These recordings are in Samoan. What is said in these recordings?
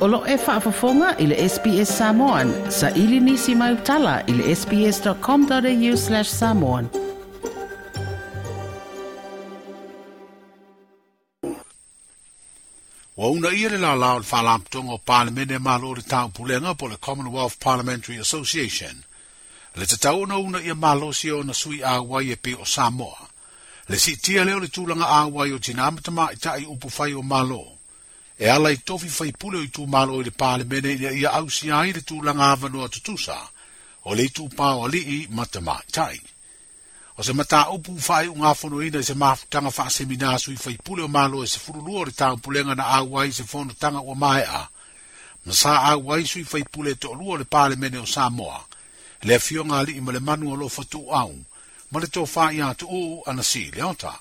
O lo o e faafofoga i le SBS Samoan. Saili nisi mau tala i le sbs.com.au/samoan. Ua uunaia le lālā o le Faalapotopotoga o Palemene a Malo o le Taupulega po o le Commonwealth Parliamentary Association le tatau ona uunaia malosi e ona sui auai e pei o Samoa. Le siitia lea o le tulaga auai o tinā ma tamaitai i upufai o Malo e ala i tofi faipule o itumalo i le Palemene ina ia ausia ai le tulaga avanoa tutusa o le itupa o alii ma tamaitai. O se mataupu ua faaiugafonoina i se mafutaga faaseminā sui faipule o Malo e 12 o le Taupulega na auai i se fonotaga ua maea, ma sa auai sui faipule e toalua o le Palemene o Samoa, le Afioga Aliimalemanu Alofa Tuuau ma le Tofa ia Tuuu Anasii Leota.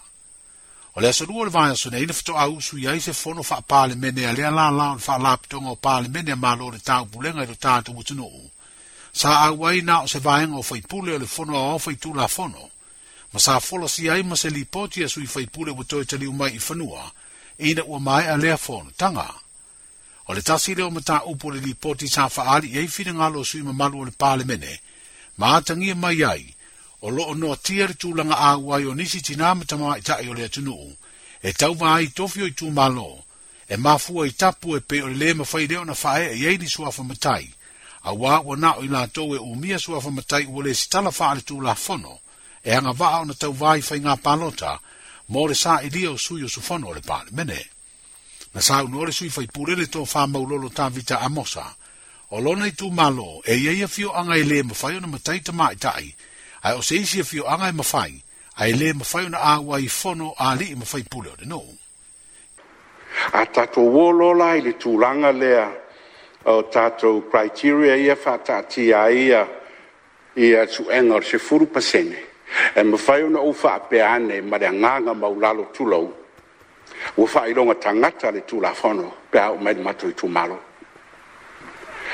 O le aso Lua o le vaiaso nei na faatoa usui ai se fono faa-Palemene a lea lālā o le Faalapotopotoga o Palemene a Malo o le Taupulega i lo tatou atunuu. Sa auai na o se vaega o faipule o le Fono Aoao Faitulafono, ma sa folasia ai ma se lipoti a sui faipule ua toe taliu mai i fanua ina ua maea lea fonotaga. O le tasi lea o mataupu o le lipoti sa faaali i ai finagalo o sui mamalu o le Palemene, ma atagia mai ai, o lo o noatia le tulaga auai o nisi tinā ma tamaitai o le atunuu, e tauva ai i tofi o itumalo, e mafua i tapu e pei o le lē mafai lea ona faaee i ai ni suafa matai, auā ua na o i latou e umia suafa matai ua lesitala faaletulafono, e agavaa ona tauva i faiga palota mo le sailia o sui usufono o le Palemene. Na saunoa le sui faipule le Tofa Maulolo Tavita Amosa, o lona itumalo e i ai afioaga e lē mafai ona matai tamaitai, ae o se isi afioaga e mafai, ae lē mafai ona auai i fono a alii ma faipule o le nuu. A tatou o loa la i le tulaga lea o tatou criteria ia faataatia ai ia suega o le 10%, e mafai ona ou faapea ane ma le agaga maualalo, tulou, ua faailoga tagata le Tulafono pe a oo mai i le matou itumalo.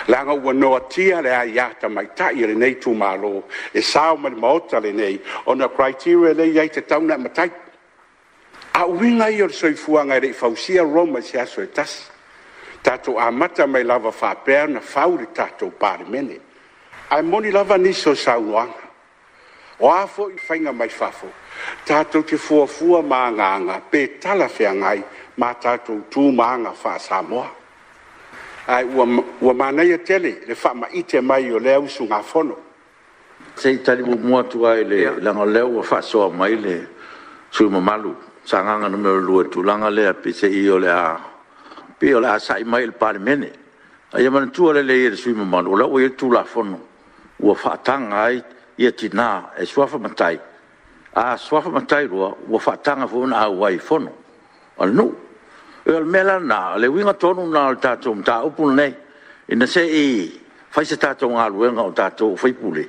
Leaga ua noatia le aia tamaitai a lenei itumalo e sao mai le Maota lenei ona criteria lea e i ai e tatau ona e matai. A o uiga ia o le soifuaga e le i fausia Roma i se aso e tasi. Tatou amata mai lava faapea ona fau le tatou Palemene. Ae moni lava nisi o saunoaga. O a foi faiga mai fafo, tatou te fuafua ma agaaga pe talafeagai ma tatou tu ma aga faa-Samoa. Ae ua manaia tele le faamaite mai o lea usugafono. Se i tali muamua atu lava leaga o lea ua faasoa mai le sui usufono mamalu Sagaga 2 i le tulaga lea peiseai o le a pei o le a sa'i mai i le Palemene. Ae ia manatua lelei e le sui usufono mamalu, o la ua i ai le Tulafono ua faataga ai tina e suafa matai. A suafa matai loa, ua faataga foi ona auai i fono a le nuu. O le mea la lena, o le uiga tonu lena o le tatou mataupu lenei, ina se i fai se tatou galuega o tatou o sui usufono,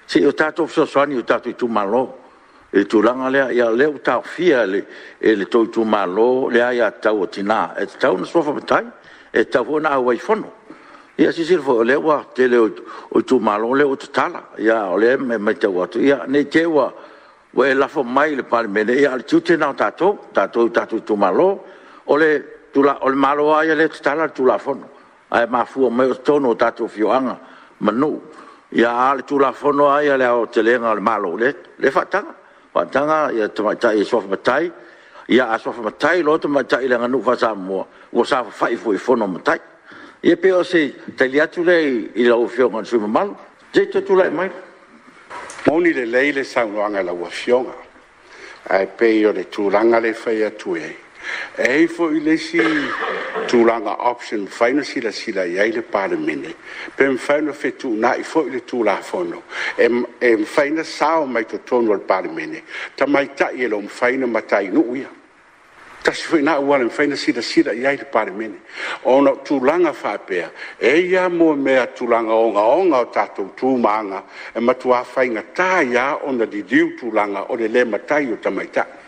se i o tatou fesoasoani i o tatou itumalo i le tulaga lea. Ia o lea ua taofia e le tou itumalo le aiatatau a tina e tatau ona suafa matai, e tatau foi ona auai i fono. Ia silasila foi, o lea ua tele o itumalo lea ua tatala, a o lea e matau atu, ne i te i ua e lafo mai i le Palemene, a o le tiute lena o tatou, o tatou i o tatou itumalo. O le Malo lava ia lea e tatala le Tulafono, ae mafua mai o totonu o tatou afioaga ma nuu. A o le Tulafono lava ia i le aotelega o le Malo, lea e faataga, faataga tamaitai e suafa matai. Ia a suafa matai loa tamaitai i le aganuu faa-Samoa, ua saofafai foi i fono a matai. Ia pei o se tali atu lea i lau Afioga i le sui usufono mamalu. Se i toe tulai mai. Moni lelei le saunoaga a lau Afioga, ae pei o le tulaga lea e fai atu ai, e i ai foi le isi tulaga option e mafai ona silasila i ai le Palemene, pe mafai ona fetuunai foi le Tulafono e mafai ona sao mai totonu o le Palemene tamaitai e le o mafai ona matai i nuu ia. Tasi foi lena auala e mafai ona silasila i ai le Palemene, ona o tulaga faapea, e i ai lava mea tulaga ogaoga o tatou tu ma aga e matua faigata ai lava ona liliu tulaga o le le matai o tamaitai.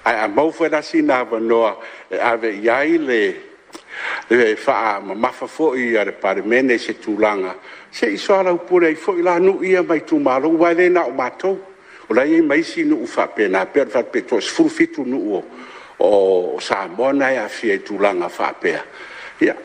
Ae a maua foi la sina avanoa e ave i ai le faamamafa foi a le Palemene i se tulaga, se i soalaupule ai foi la nuu ia ma itumalo, aua e le na o matou, o la e i ai ma isi nuu faapena, pei ona fai atu pe toa-17 nuu o Samoa na e aafia i tulaga faapea. Ia,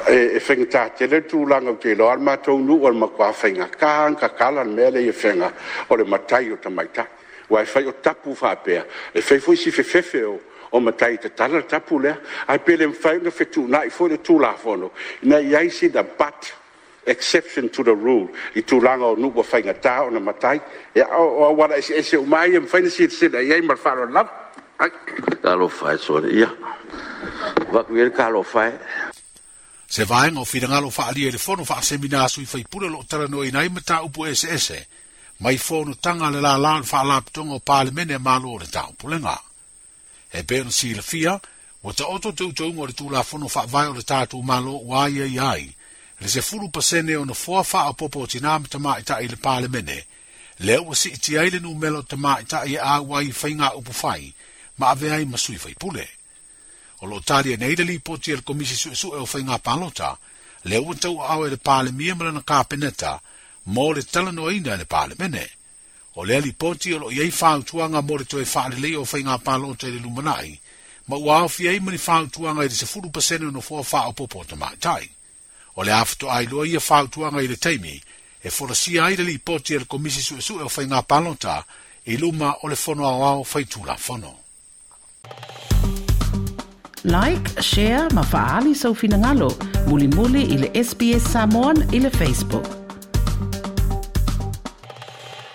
E faigata tele le tulaga, ou te iloa le matou nuu o le matua faigata ona tatala le mea lea i Afega o le matai o tamaitai, aua e fai o tapu faapea, e fai foi si fefefe o matai e tatala le tapu lea. Ae pe le mafai ona fetuunai foi le Tulafono ina ia i ai sina but exception to the rule i tulaga o nuu ua faigata ona matai. Ia, o auala eseese uma lava ia e mafai ona silasila i ai ma le faaaloalo lava. Ai. Talofa e sole, ia. Avatu i ai le talofa e. Se vaega o finagalo faaalia i le fono faasemina a sui faipule o lo o talanoaina ai mataupu eseese mai fonotaga a le lālā o le Faalapotopotoga o Palemene a Malo o le Taupulega. E pei ona silafia, ua taoto teuteuga o le Tulafono Faavae o le tatou Malo ua aiaia ai le 10% o nofoa faaopoopo o tinā ma tamaitai i le Palemene, lea ua siitia ai le numera o tamaitai e auai i faiga upufai ma avea ai ma sui faipule. O lo o talia nei le lipoti a le Komisi Suesue o Faiga Palota, lea ua tauaao e le Palemia ma lana Kapeneta mo le talanoaina e le Palemene. O lea lipoti o lo o i ai fautuaga mo le toe faaleleia o faiga palota i le lumanai, ma ua aofia ai ma ni fautuaga i le 10% o nofoa faaopoopo o tamaitai. O le a faatoa iloa ia fautuaga i le taimi e folasia ai le lipoti a le Komisi Suesue o Faiga Palota i luma o le Fono Aoao Faitulafono. Like, share ma faaali sou finagalo. Mulimuli i le SBS Samoan i le Facebook.